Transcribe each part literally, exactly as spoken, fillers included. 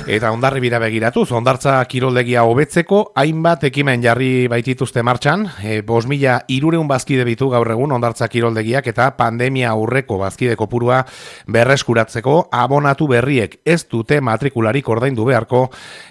Eta Hondarribira begiratuz, Hondartza kiroldegia hobetzeko hainbat ekimen jarri baitituzte martxan, e, bost mila hirurehun bazkide ditu gaur egun Hondartza kiroldegiak eta pandemia aurreko bazkide kopurua berreskuratzeko abonatu berriek ez dute matrikularik ordaindu beharko,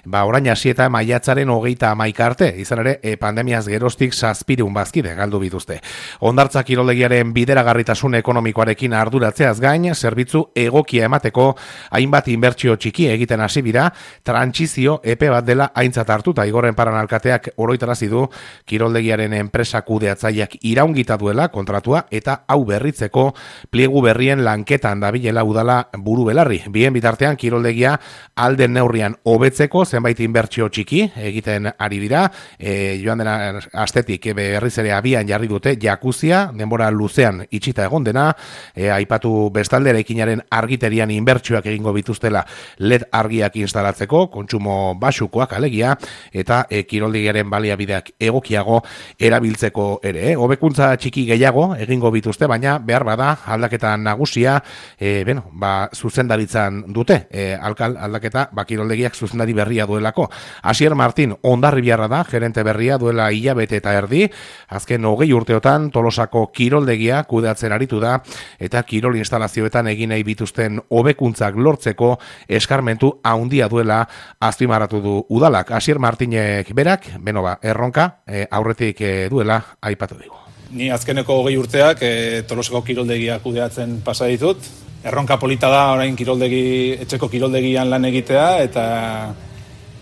ba orain hasi eta maiatzaren hogeita hamaika arte, izan ere e, pandemiaz geroztik zazpiehun bazkide galdu bituzte. Hondartza kiroldegiaren bideragarritasun ekonomikoarekin arduratzeaz gain, zerbitzu egokia emateko hainbat inbertsio txiki egiten hasi bira, trantsizio epe bat dela aintzat hartuta Igorren Paran alkateak oroitarazi du kiroldegiaren enpresa kudeatzaileak iraungita duela kontratua eta hau berritzeko pliegu berrien lanketan dabilela udala buru belarri. Bien bitartean kiroldegia alden neurrian hobetzeko zenbait inbertsio txiki egiten ari dira. E, joan dena astetik berriz ere abian jarri dute jakuzia, denbora luzean itxita egon dena, e, aipatu bestalde eraikinaren argiterian inbertsioak egingo bituztela L E D argiak instalatzeko, kontsumo basukoak alegia, eta e, kiroldegiaren baliabideak egokiago erabiltzeko ere. Eh? Hobekuntza txiki gehiago egingo bituzte, baina behar bada aldaketa nagusia e, bueno, ba, zuzendaritzan dute. E, alkal aldaketa ba, kiroldegiak zuzendari berria duelako. Asier Martin Hondarribiarra da, gerente berria duela hilabete eta erdi, azken hogei urteotan Tolosako kiroldegia kudeatzen aritu da, eta kirol instalazioetan egin nahi bituzten hobekuntzak lortzeko eskarmentu handia duela azpimarratu du udalak. Asier Martinek berak, beno ba, erronka e, aurretik e, duela aipatu digu. Ni azkeneko hogei urteak e, Tolosako kiroldegia kudeatzen pasa ditut. Erronka polita da orain kiroldegi, etxeko kiroldegian lan egitea eta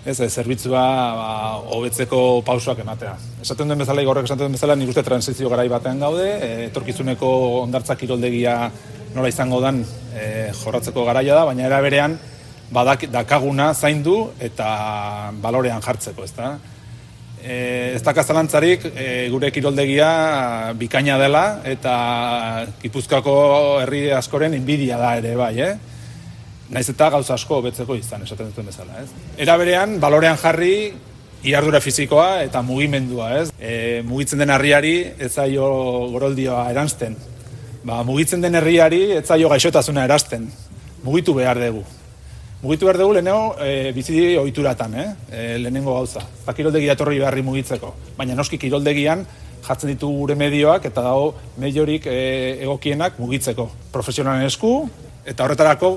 ez, zerbitzua ba, hobetzeko pausoak ematea. Esaten duen bezala, Igorrek esaten duen bezala, nik uste transizio garai batean gaude, e, etorkizuneko Hondartza kiroldegia nola izango dan e, jorratzeko garaia da, baina era berean badak dakaguna zaindu eta balorean jartzeko, ezta? E, ez daka zalantzarik e, gure kiroldegia bikaina dela eta Gipuzkoako herri askoren inbidia da ere bai, eh? Naiz eta gauza asko hobetzeko izan, esaten duten bezala, ez? Era berean balorean jarri iardura fisikoa eta mugimendua, ez? E, mugitzen den herriari ez zaio goroldioa eransten. Ba, mugitzen den herriari ez zaio gaixotasuna eransten. Mugitu behar dugu. Mugitu behar dugu lehenengo e, bizi ohituratan, eh? E, lehenengo gauza. Eta kiroldegia etorri beharri mugitzeko. Baina noski kiroldegian jartzen ditu gure medioak eta dago mediorik e, egokienak mugitzeko. Profesionalen esku eta horretarako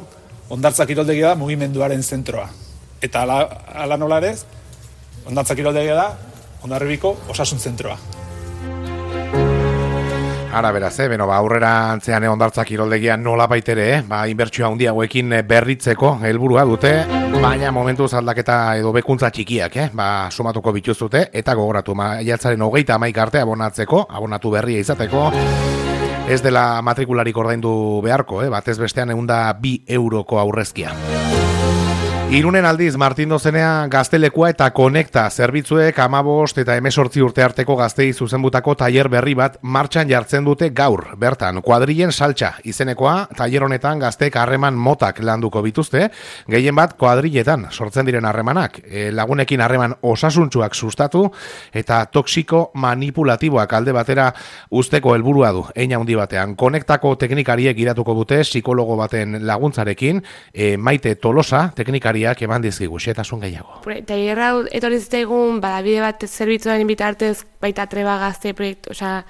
Hondartza kiroldegia da mugimenduaren zentroa. Eta ala, ala nola ere, Hondartza kiroldegia da Hondarribiko osasun zentroa. Ara beraz, eh? Beno, ba, aurrera antzean Hondartza kiroldegia nola baitere, eh? Ba, inbertsio handiagoekin berritzeko helburua dute, baina momentuz aldaketa edo bekuntza txikiak, eh? Ba, sumatuko bituzute, eta gogoratu, maiatzaren hogeita hamaika arte abonatzeko, abonatu berria izateko, ez dela matrikularik ordaindu beharko, eh? Batez bestean ehun eta bi euroko aurrezkia. Irunen aldiz, Martin Dozenea gaztelekua eta konekta zerbitzuek hamabost eta hemezortzi urte arteko gaztei zuzenbutako tailer berri bat martxan jartzen dute gaur. Bertan, kuadrilen saltsa izenekoa, tailer honetan gazteek harreman motak landuko bituzte, gehien bat kuadriletan sortzen diren harremanak, e, lagunekin harreman osasuntsuak sustatu eta toksiko manipulatiboak alde batera usteko helburua du. Hein handi batean, konektako teknikariek iratuko dute psikologo baten laguntzarekin, e, Maite Tolosa teknikari eman dizkigu, xetasun gehiago. Tailerra etorri zitzaigun, badabide bat zerbitzuaren bitartez, baita Treba Gazte proiektu, osea,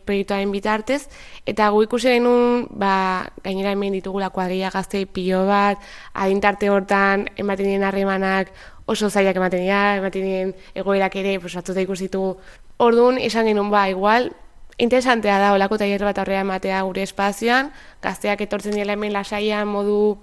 proiektuaren bitartez, eta gu ikusi genuen, ba, gainera hemen ditugula kuadrilla gazte pilo bat, adintarte hortan ematen diren harremanak oso zailak ematen dira, ematen diren egoerak ere, pues, atzuta ikusitu. Orduan, esan genuen, ba, igual, interesantea da, olako tailer bat aurrera ematea gure espazioan, gazteak etortzen dira hemen lasaian modu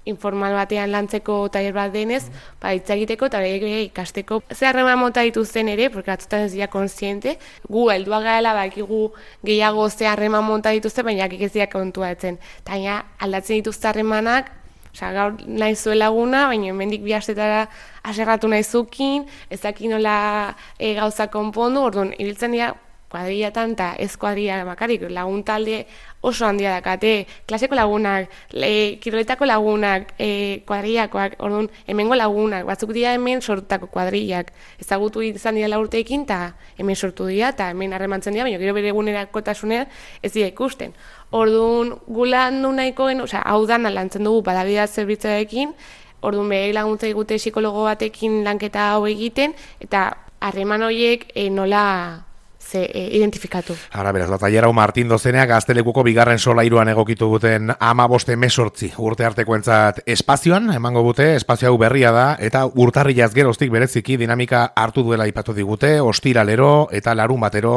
informal batean lantzeko tailer bat denez, ba, hitz egiteko eta ikasteko. Ze harreman mota dituzten ere, porque batzutan ez dira konsiente, gu heldua garela bakigu gehiago ze harreman mota dituzte, baina ez dira kontuatzen. Eta aldatzen dituzte harremanak, osea, gaur nahi zuen laguna, baina hemendik bi astetara aserratu nahi zukin, ez daki nola e, gauza konpondu, orduan, ibiltzen dira kuadrillatan eta ez kuadrilla makarik, lagun talde oso handia dakate, klaseko lagunak, le, kiroletako lagunak, e, kuadrillakoak, orduan, hemengo lagunak, batzuk dira hemen sortutako kuadrillak, ezagutu izan dira urteekin, eta hemen sortu dira, eta hemen harremantzen dira, baina gero bere egunerakotasunean ez dira ikusten. Orduan, gulandu nahiko gen, osea, hau dana lantzen dugu badabidea zerbitzuarekin, orduan berei laguntza digute psikologo batekin lanketa hau egiten, eta harreman horiek e, nola ze, e, identifikatu. Ara, beraz, Batailerau Martin dozeneak Gaztelekuko bigarren solairuan egokitu guten hamabost hemezortzi urte artekoentzat espazioan, emango dute, espazio hau berria da, eta urtarrilaz geroztik bereziki dinamika hartu duela ipatu digute, ostiralero eta larun batero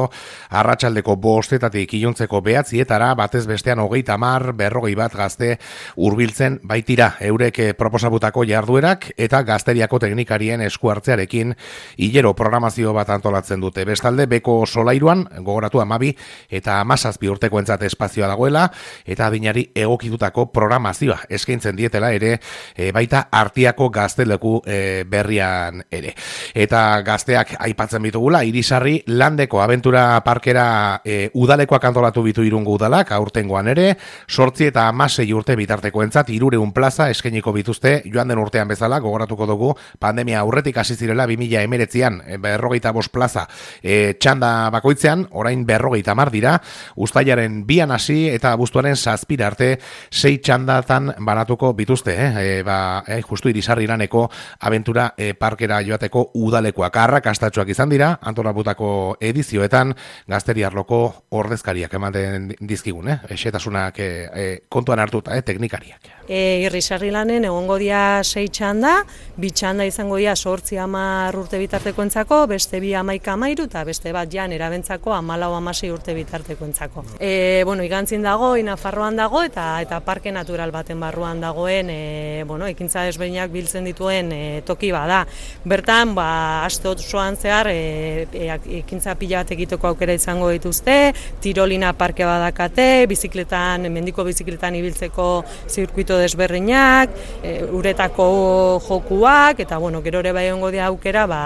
arratsaldeko bostetatik iluntzeko behatzietara, batez bestean hogeita hamar, berrogei bat gazte hurbiltzen baitira, eurek proposabutako jarduerak eta gazteriako teknikarien esku hartzearekin hilero programazio bat antolatzen dute. Bestalde, beko solairuan, gogoratu amabi eta amazazpi urtekoentzat espazioa dagoela, eta adinari egokitutako programazioa eskaintzen dietela ere, e, baita Artiako gazteleku e, berrian ere. Eta gazteak aipatzen bitugula, Irisarri landeko abentura parkera e, udalekoak antolatu bitu Irungo udalak, aurtengoan ere, sortzi eta amasei urte bitartekoentzat hirureun plaza eskainiko bituzte, joan den urtean bezala, gogoratuko dugu, pandemia aurretik hasi zirela bi mila hemeretzian, berrogeita bost plaza e, txanda bakoitzean, orain berrogeita hamar dira, uztailaren bian hasi eta abuztuaren zazpira arte sei txandatan banatuko bituzte, eh? E, ba, eh, justu Irisarri laneko abentura e, parkera joateko udalekoak arrakastatsuak izan dira, antolabutako edizioetan gazteriarloko ordezkariak ematen dizkigun, eh? Esetasunak e, e, kontuan hartuta, eh? Teknikariak. E, Irisarri lanen egongo dira sei txanda, bi txanda izango dira sortzi hamar urte bitartekoentzako, beste bi hamaika hamairu eta beste bat jan erabentzako hamalau hamasei urte bitartekoentzako. E, bueno, igantzin dago, Nafarroan dago eta eta parke natural baten barruan dagoen, e, bueno, ekintza desberdinak biltzen dituen e, toki bada. Bertan, ba, aste osoan zehar e, e, ekintza pila bat egiteko aukera izango dituzte, tirolina parke badakate, bizikletan, mendiko bizikletan ibiltzeko zirkuito desberdinak, e, uretako jokuak, eta bueno, gero ere bai egongo dira aukera, ba,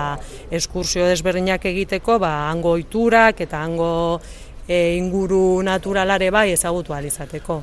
eskursio desberdinak egiteko, ba, hango ohiturak eta hango e, inguru naturalare bai ezagutu ahal izateko.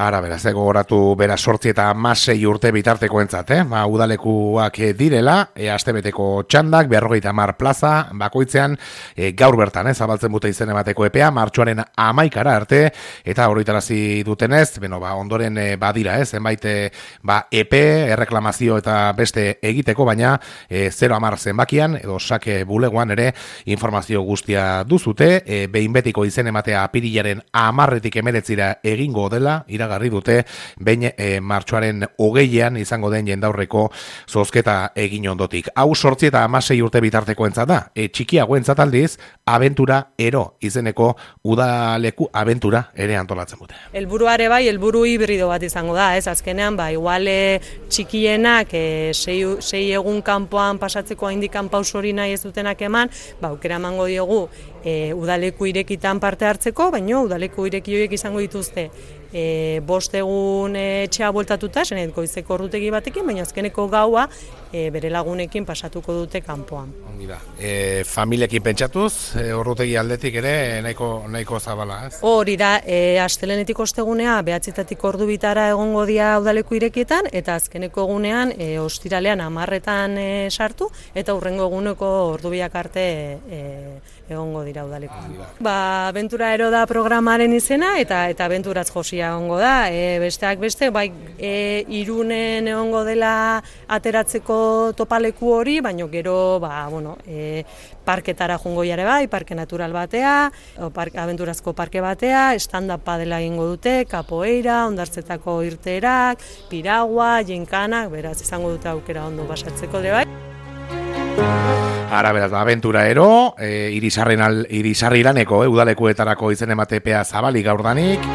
Ara, beraz, gogoratu bera sortzi eta amasei urte bitartekoentzat, eh? Ba, udalekuak direla, e, astebeteko txandak, berrogeita hamar plaza, bakoitzean, e, gaur bertan, eh? Zabaltzen bute izen emateko epea, martxoaren amaikara arte, eta horretarazi dutenez, beno, ba, ondoren e, badira, eh? Zenbait, e, ba, epe, erreklamazio eta beste egiteko, baina e, zero hamar zenbakian, edo sake bulegoan ere, informazio guztia duzute, e, behin betiko izen ematea apirilaren amarretik emeretzira egingo dela, iragarri dute, behin e, martxoaren hogeian izango den jendaurreko zozketa egin ondotik. Hau sortzi eta amasei urte bitartekoentzat da, e, txikiagoentzat aldiz, abentura ero izeneko udaleku abentura ere antolatzen dute. Helburuare bai, helburu hibrido bat izango da, ez azkenean, ba, iguale txikienak e, sei, sei egun kanpoan pasatzeko haindikan pauso hori nahi ez dutenak eman, ba, aukera emango diogu e, udaleku irekitan parte hartzeko, baina udaleku ireki horiek izango dituzte e, bost egun e, etxea bueltatuta, zenet goizeko ordutegi batekin, baina azkeneko gaua e, bere lagunekin pasatuko dute kanpoan. Ongi da. E, familiekin pentsatuz, e, ordutegi aldetik ere nahiko, nahiko zabala, ez? Hori da, e, astelenetik ostegunea behatzitatik ordu bitara egongo dira udaleku irekietan, eta azkeneko egunean e, ostiralean hamarretan e, sartu, eta hurrengo eguneko ordubiak arte e, egongo dira udaleku. Ba, abentura ero da programaren izena, eta eta abenturatz josia egongo da. E, besteak beste, bai, e, Irunen egongo dela ateratzeko topaleku hori, baina gero, ba, bueno, e, parketara jungo jare bai, parke natural batea, o park, abenturazko parke batea, stand-up padela egingo dute, kapoeira, ondartzetako irteerak, piragua, jinkanak, beraz, izango dute aukera ondo basatzeko ere bai. Ara, beraz, abentura ero, e, Irisarri laneko, e, udalekuetarako izen ematepea zabalik gaurdanik,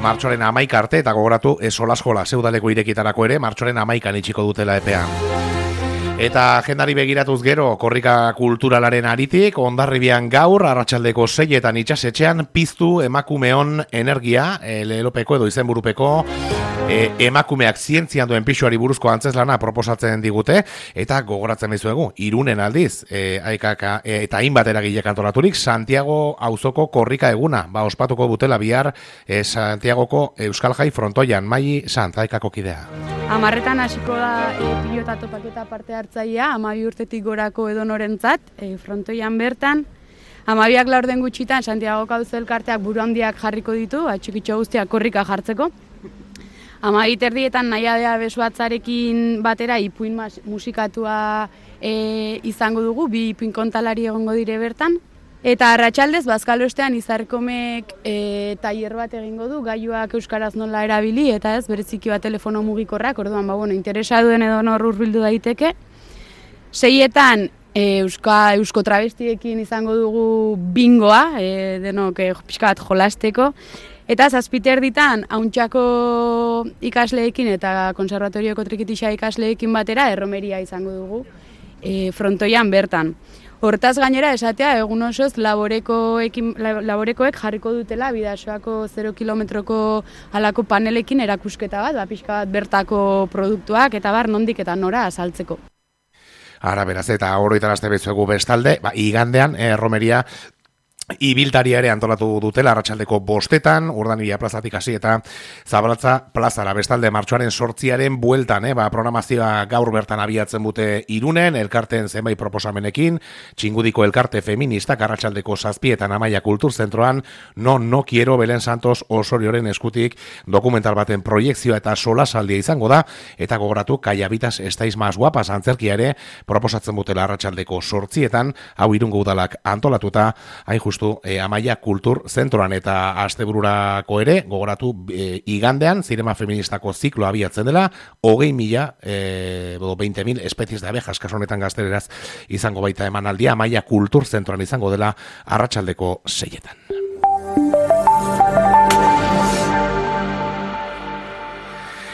martxoaren amaika arte, eta gogoratu, ez solaskola, ze udaleko irekitarako ere, martxoaren amaikan itxiko dutela epea. Eta agendari begiratuz gero, korrika kulturalaren aritik, Hondarribian gaur, arratsaldeko seietan itxasetxean, piztu emakumeon energia, e, lelopeko edo izenburupeko, e, emakumeak zientzian duen pixuari buruzko antzeslana proposatzen digute, eta gogoratzen dizuegu, Irunen aldiz, e, aikaka, e, eta hainbat eragilek antolaturik, Santiago auzoko korrika eguna, ba, ospatuko dutela bihar, e, Santiagoko Euskal Jai frontoian, Mai Sant, aikako kidea. Amarretan hasiko da e, pilota topaketa parte hartzailea, amabi urtetik gorako edonorentzat, e, frontoian bertan. Amabiak laurden gutxitan, Santiago Auzo elkarteak buru handiak jarriko ditu, ba, txikitxo guztiak korrika jartzeko. Hamabi terdietan nahiadea besuatzarekin batera ipuin musikatua e, izango dugu, bi ipuin kontalari egongo dire bertan. Eta arratsaldez bazkalo ostean Izarkomek e, tailer bat egingo du, gailuak euskaraz nola erabili, eta ez, bereziki bat telefono mugikorrak, orduan, ba, bueno, interesaduen edo nor hurbildu daiteke. Seietan, e, euska, eusko travestiekin izango dugu bingoa, e, denok e, pixka bat jolasteko. Eta zazpiter ditan, hauntxako ikasleekin eta konservatorioko trikitixa ikasleekin batera erromeria izango dugu e, frontoian bertan. Hortaz gainera esatea, egun osoz laborekoekin, laborekoek jarriko dutela Bidasoako zero kilometroko halako panelekin erakusketa bat, ba, pixka bat bertako produktuak eta bar nondik eta nora azaltzeko. Ara, beraz, eta oroitarazte bezuegu bestalde, ba, igandean, eh, romeria ibiltaria ere antolatu dutela arratsaldeko bostetan, Urdanibia plazatik hasi eta Zabalatza plazara. Bestalde martxoaren sortziaren bueltan, eh, ba, programazioa gaur bertan abiatzen dute Irunen, elkarten zenbait proposamenekin, Txingudiko elkarte feministak arratsaldeko zazpietan Amaia Kulturzentroan, no, no quiero Belen Santos Osorioren eskutik dokumental baten proiekzioa eta solasaldia izango da, eta gogoratu Kaiabitas estáis más guapas antzerkia ere proposatzen dutela arratsaldeko sortzietan, hau Irungo udalak antolatuta, hain justu E, Amaia Kultur Zentroan eta astebururako ere, gogoratu e, igandean, zinema feministako zikloa abiatzen dela, hogei mila, e, veinte mil espezies de abejas, kasu honetan gazteleraz izango baita emanaldia, Amaia Kultur Zentroan izango dela arratsaldeko seietan.